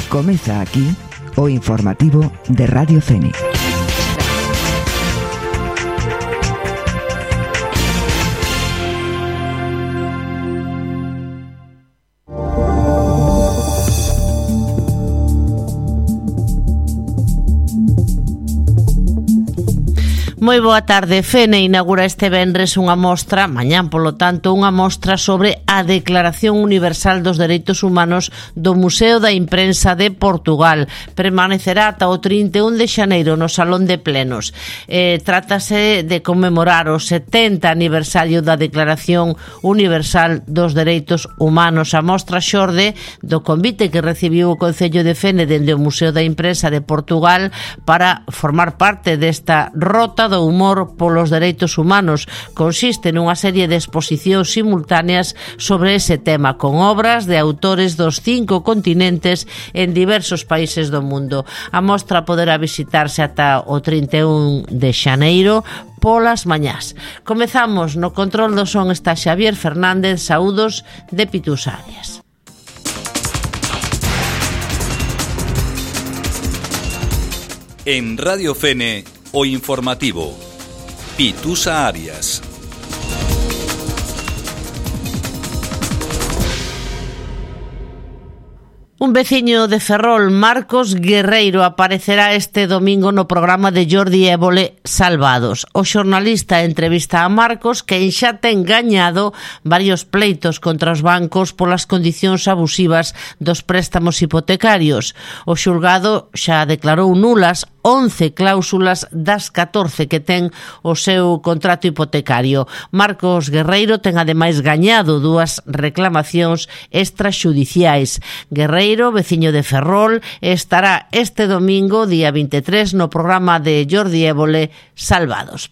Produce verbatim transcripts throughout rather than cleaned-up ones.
Comeza aquí o informativo de Radio Fene. Moi boa tarde. Fene inaugura este venres unha mostra, mañán polo tanto, unha mostra sobre a Declaración Universal dos Dereitos Humanos do Museo da Imprensa de Portugal. Permanecerá ata o trinta e un de xaneiro no Salón de Plenos. Eh, trátase de conmemorar o setenta aniversario da Declaración Universal dos Dereitos Humanos. A mostra xorde do convite que recibiu o Concello de Fene dende o Museo da Imprensa de Portugal para formar parte desta rota do humor polos dereitos humanos. Consiste nunha serie de exposicións simultáneas sobre ese tema, con obras de autores dos cinco continentes en diversos países do mundo. A mostra poderá visitarse ata o trinta e un de xaneiro polas mañás. Comezamos. No control do son está Xavier Fernández. Saúdos de Pitus Arias. En Radio Fene, o informativo Pitusa Arias. Un veciño de Ferrol, Marcos Guerreiro, aparecerá este domingo no programa de Jordi Évole Salvados. O xornalista entrevista a Marcos, que xa ten gañado varios pleitos contra os bancos polas condicións abusivas dos préstamos hipotecarios. O xulgado xa declarou nulas once cláusulas das catorce que ten o seu contrato hipotecario. Marcos Guerreiro ten ademais gañado dúas reclamacións extrajudiciais. Guerreiro, veciño de Ferrol, estará este domingo, día vinte e tres, no programa de Jordi Évole Salvados.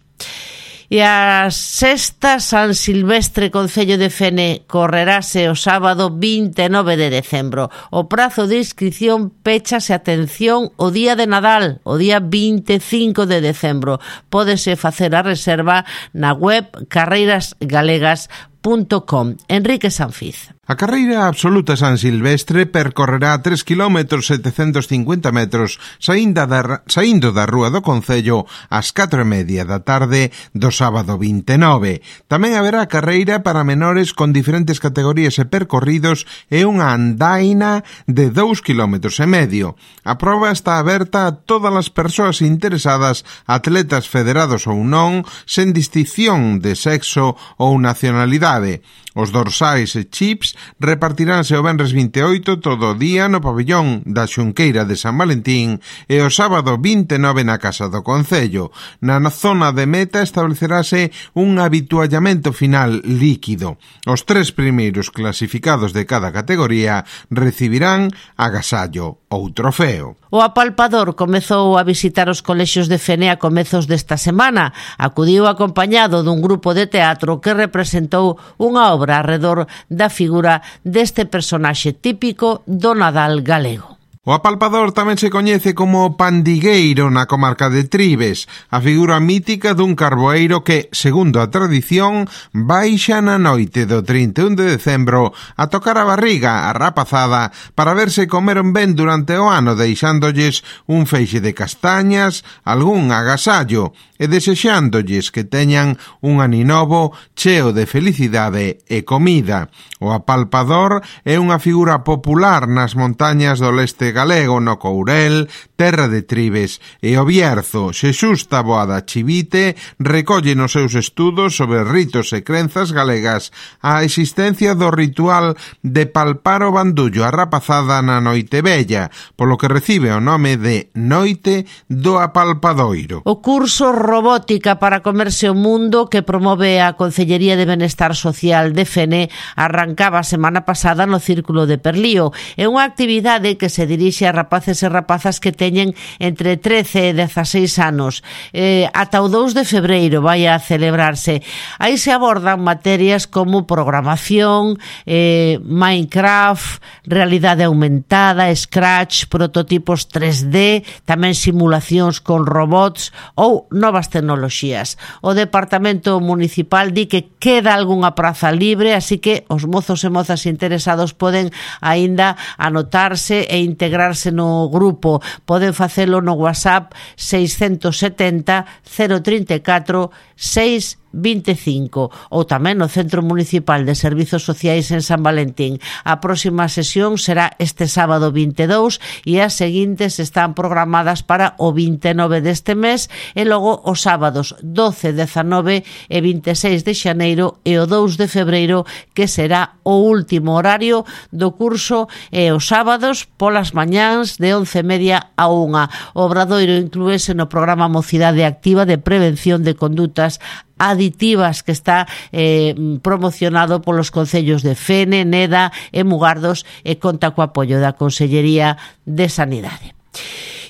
E a sexta San Silvestre Concello de Fene correrase o sábado vinte e nove de decembro. O prazo de inscripción péchase, atención, o día de Nadal, o día vinte e cinco de decembro. Pódese facer a reserva na web carreiras galegas punto com. Enrique Sanfiz. A carreira absoluta San Silvestre percorrerá tres quilómetros setecentos cincuenta metros saindo da, saindo da Rúa do Concello ás catro e media da tarde do sábado vinte e nove. Tamén haberá carreira para menores con diferentes categorías e percorridos e unha andaina de dous quilómetros e medio. A proba está aberta a todas as persoas interesadas, atletas federados ou non, sen distinción de sexo ou nacionalidade. Os dorsais e chips repartiránse o venres vinte e oito todo o día no pabellón da Xunqueira de San Valentín e o sábado vinte e nove na Casa do Concello. Na zona de meta establecerase un habituallamento final líquido. Os tres primeiros clasificados de cada categoría recibirán agasallo ou trofeo. O apalpador comezou a visitar os colexios de Fene a comezos desta semana. Acudiu acompañado dun grupo de teatro que representou unha obra arredor da figura deste personaxe típico do Nadal galego. O apalpador tamén se coñece como pandigueiro na comarca de Tribes, a figura mítica dun carboeiro que, segundo a tradición, baixa na noite do trinta e un de decembro a tocar a barriga, a rapazada, para verse comeron ben durante o ano, deixándolles un feixe de castañas, algún agasallo, e desexándolles que teñan un aninovo cheo de felicidade e comida. O apalpador é unha figura popular nas montañas do leste galego, no Courel, terra de Tribes e o Bierzo. Xesús Taboada Chivite recolle nos seus estudos sobre ritos e crenzas galegas a existencia do ritual de palpar o bandullo a rapazada na noite bella, polo que recibe o nome de Noite do Apalpadoiro. O curso Robótica para comerse o mundo que promove a Concellería de Benestar Social de Fene arrancaba a semana pasada no Círculo de Perlío. É unha actividade que se dirixe a rapaces e rapazas que teñen entre trece e dezaseis anos. Eh, ata o dous de febreiro vai a celebrarse. Aí se abordan materias como programación, eh, Minecraft, realidade aumentada, Scratch, prototipos tres D, tamén simulacións con robots ou novas tecnoloxías. O Departamento Municipal di que queda algunha praza libre, así que os mozos e mozas interesados poden aínda anotarse e integrar integrarse no grupo poden facelo no WhatsApp seiscentos setenta cero trinta e catro seis vinte e cinco ou tamén no Centro Municipal de Servizos Sociais en San Valentín. A próxima sesión será este sábado vinte e dous e as seguintes están programadas para o vinte e nove deste mes e logo os sábados doce, dezanove e vinte e seis de xaneiro e o dous de febreiro, que será o último horario do curso, e os sábados polas mañáns de once e media a unha. O Obradoiro inclúese no programa Mocidade Activa de Prevención de Condutas Aditivas que está eh, promocionado polos concellos de Fene, Neda e Mugardos e conta co apoio da Consellería de Sanidade.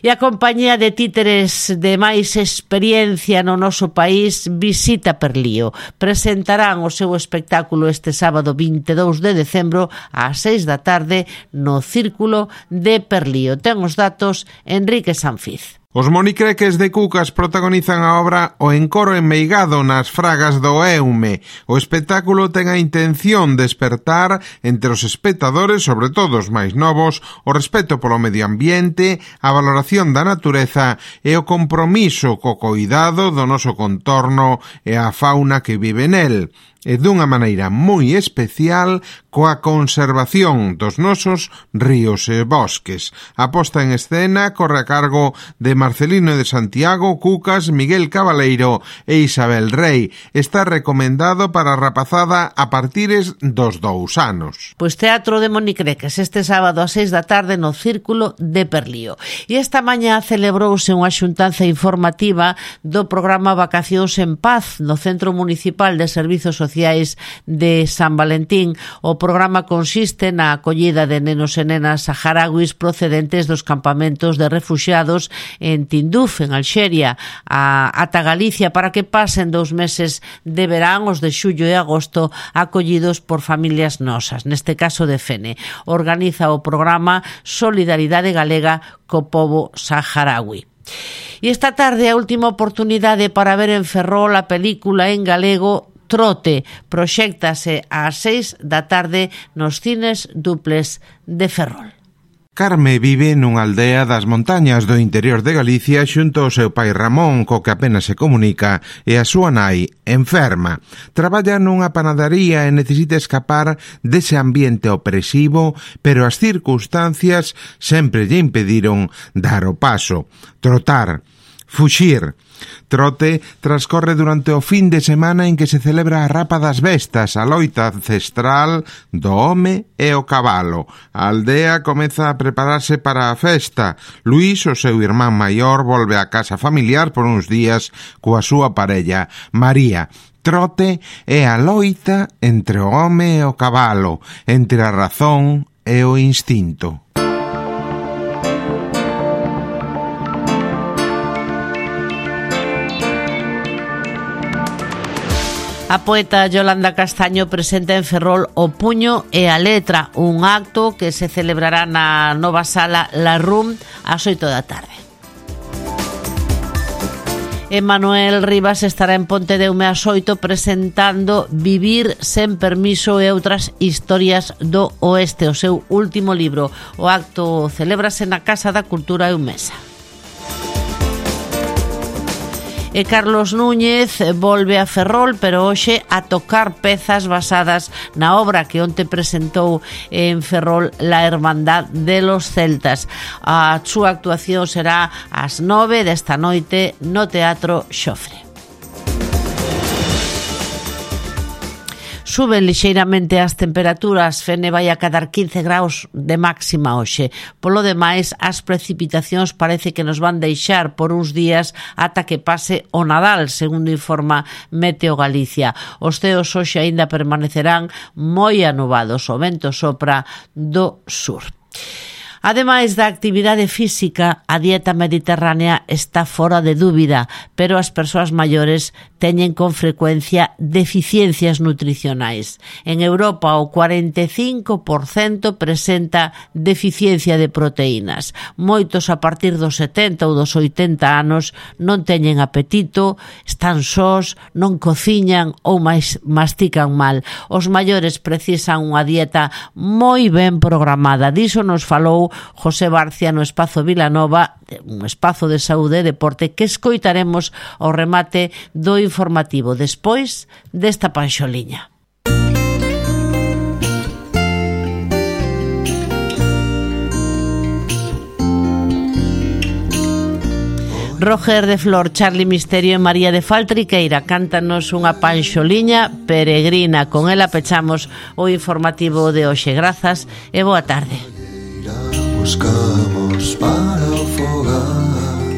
E a compañía de títeres de máis experiencia no noso país visita Perlío. Presentarán o seu espectáculo este sábado vinte e dous de decembro ás seis da tarde no Círculo de Perlío. Ten os datos Enrique Sanfiz. Os monicreques de Cucas protagonizan a obra O encoro enmeigado nas fragas do Eume. O espectáculo ten a intención de despertar entre os espectadores, sobre todo os máis novos, o respeto polo medio ambiente, a valoración da natureza e o compromiso co coidado do noso contorno e a fauna que vive nel. E dunha maneira moi especial coa conservación dos nosos ríos e bosques. A posta en escena corre a cargo de Marcelino de Santiago, Cucas, Miguel Cabaleiro e Isabel Rey. Está recomendado para a rapazada a partires dos dous anos. Pois Teatro de Monicreques este sábado a seis da tarde no Círculo de Perlío. E esta mañá celebrouse unha xuntanza informativa do programa Vacacións en Paz no Centro Municipal de Servizos Sociais de San Valentín. O programa consiste na acollida de nenos e nenas saharauis procedentes dos campamentos de refuxiados en Tinduf, en Alxeria, a, ata Galicia, para que pasen dous meses de verán, os de xullo e agosto, acollidos por familias nosas, neste caso de Fene. Organiza o programa Solidaridade Galega co pobo saharaui. E esta tarde a última oportunidade para ver en Ferrol a película en galego Trote. Proxéctase ás seis da tarde nos cines duples de Ferrol. Carme vive nunha aldea das montañas do interior de Galicia xunto ao seu pai Ramón, co que apenas se comunica, e a súa nai, enferma. Traballa nunha panadería e necesita escapar dese ambiente opresivo, pero as circunstancias sempre lle impediron dar o paso, trotar, fuxir. Trote transcorre durante o fin de semana en que se celebra a rapa das bestas, a loita ancestral do home e o cabalo. A aldea comeza a prepararse para a festa. Luís, o seu irmán maior, volve á casa familiar por uns días coa súa parella, María. Trote é a loita entre o home e o cabalo, entre a razón e o instinto. A poeta Yolanda Castaño presenta en Ferrol O puño e a letra, un acto que se celebrará na nova sala La Room ás oito da tarde. Emanuel Rivas estará en Pontedeume ás oito presentando Vivir sen permiso e outras historias do oeste, o seu último libro. O acto celébrase na Casa da Cultura Eumesa. E Carlos Núñez volve a Ferrol, pero hoxe a tocar pezas basadas na obra que onte presentou en Ferrol La Hermandad de los Celtas. A súa actuación será ás nove desta noite no Teatro Xofre. Suben lixeiramente as temperaturas, Fene vai a cadar quince graus de máxima hoxe. Polo demais, as precipitacións parece que nos van deixar por uns días ata que pase o Nadal, segundo informa Meteo Galicia. Os ceos hoxe aínda permanecerán moi anubados, o vento sopra do sur. Ademais da actividade física, a dieta mediterránea está fora de dúbida, pero as persoas maiores teñen con frecuencia deficiencias nutricionais. En Europa o cuarenta e cinco por cento presenta deficiencia de proteínas. Moitos a partir dos setenta ou dos oitenta anos non teñen apetito, están sós, non cociñan ou máis mastican mal. Os maiores precisan unha dieta moi ben programada. Diso nos falou José Barcia no Espazo Vilanova, un espazo de saúde e deporte que escoitaremos ao remate do informativo despois desta panxoliña. Roger de Flor, Charlie Misterio e María de Faltriqueira cántanos unha panxoliña peregrina. Con ela pechamos o informativo de hoxe. Grazas e boa tarde. Buscamos para o fogar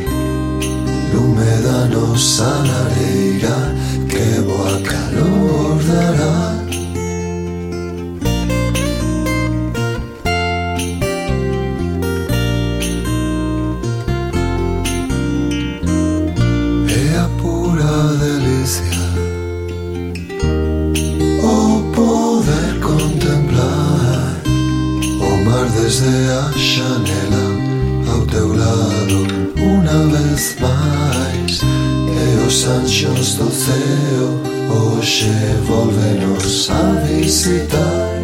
lume da nosa lareira que boa calor dará. É a pura delicia o poder contemplar o mar desde a xanela ao teu lado unha vez máis, e os anxos do ceo hoxe volvenos a visitar.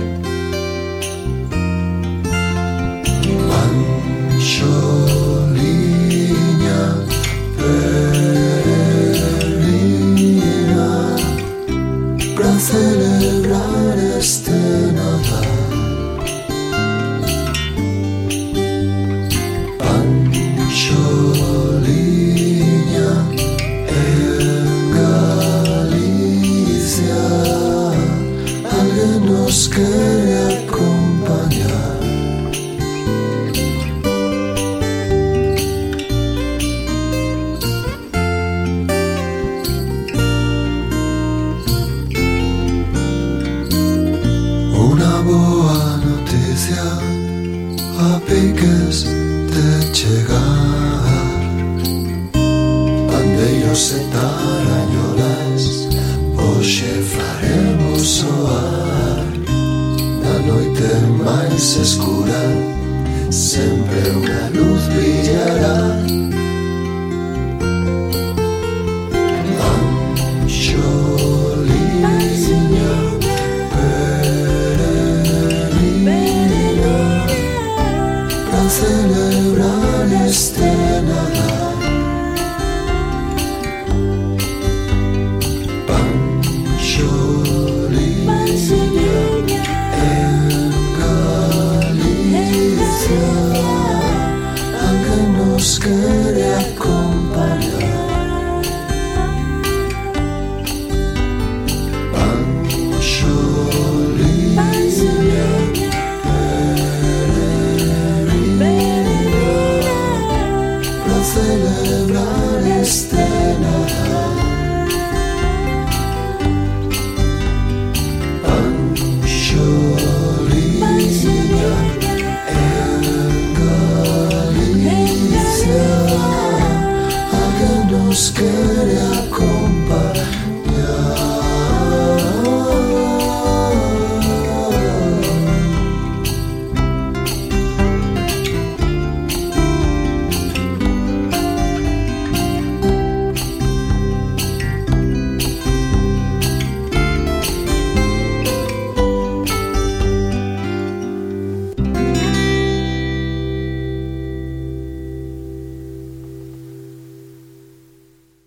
Panxoliña peregrina pra celebrar este Nadal. Panxoliña en Galicia, alguén nos quere acompañar. Unha boa noticia a piques de chegar, pandeiros e tarañolas hoxe faremos soar. Na noite máis escura sempre unha luz brillará.